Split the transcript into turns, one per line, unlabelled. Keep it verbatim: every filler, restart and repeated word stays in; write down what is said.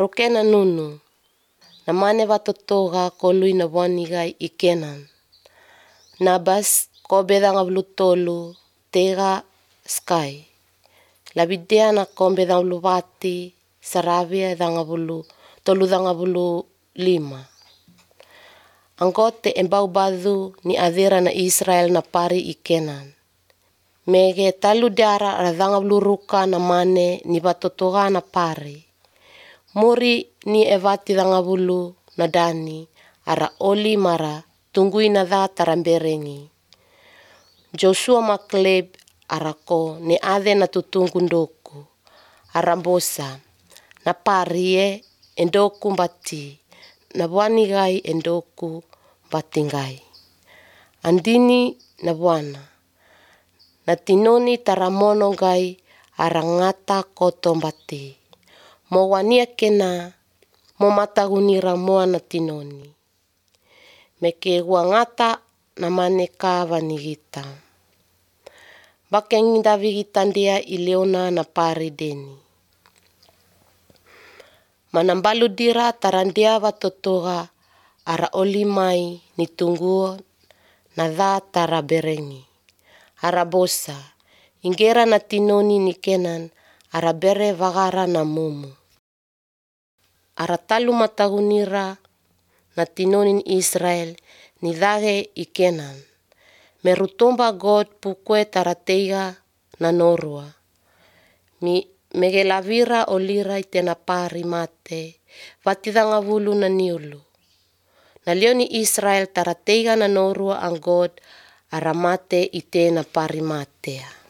rokena nunu. Na mane watotoga kolui na wanigai i Kenan. Na bas ko bedanga blu tolu tega sky. Labidea na ko bedanga blu wati saravia danga blu tolu danga blu lima. Anggote embau badu ni adera na Israel na pari i Kenan. Mege talu dara radanga blu ruka na mane ni watotoga na pari. Muri ni evati danga bulu na dani ara oli mara tunggui na dha taramberengi. Joshua makleb arako ni ade na tutunggu ndoku. Arambosa na parie endoku mbati na wanigai endoku batingai. Andini na bwana. Na tinoni taramono gai arangata koto mbati. Mo wania kena mo matagunira moa na tinoni. Meke ngata na maneka vanigita. Bakeng David ndia ileona na pari deni. Manambalu dira tarandia watotoga ara olimai ni tungguo na dha taraberengi. Arabosa ingera na tinoni ni Kenan arabere vagara na mumu. Aratalu matagunira na tinoni ni Israel ni dhage i Kenan. Merutomba God pukwe tarateiga na norua. Mi megelavira olira itena pari mate. Vatidanga vulu na niulu. Na leoni Israel tarateiga na norua ang God aramate itena pari matea.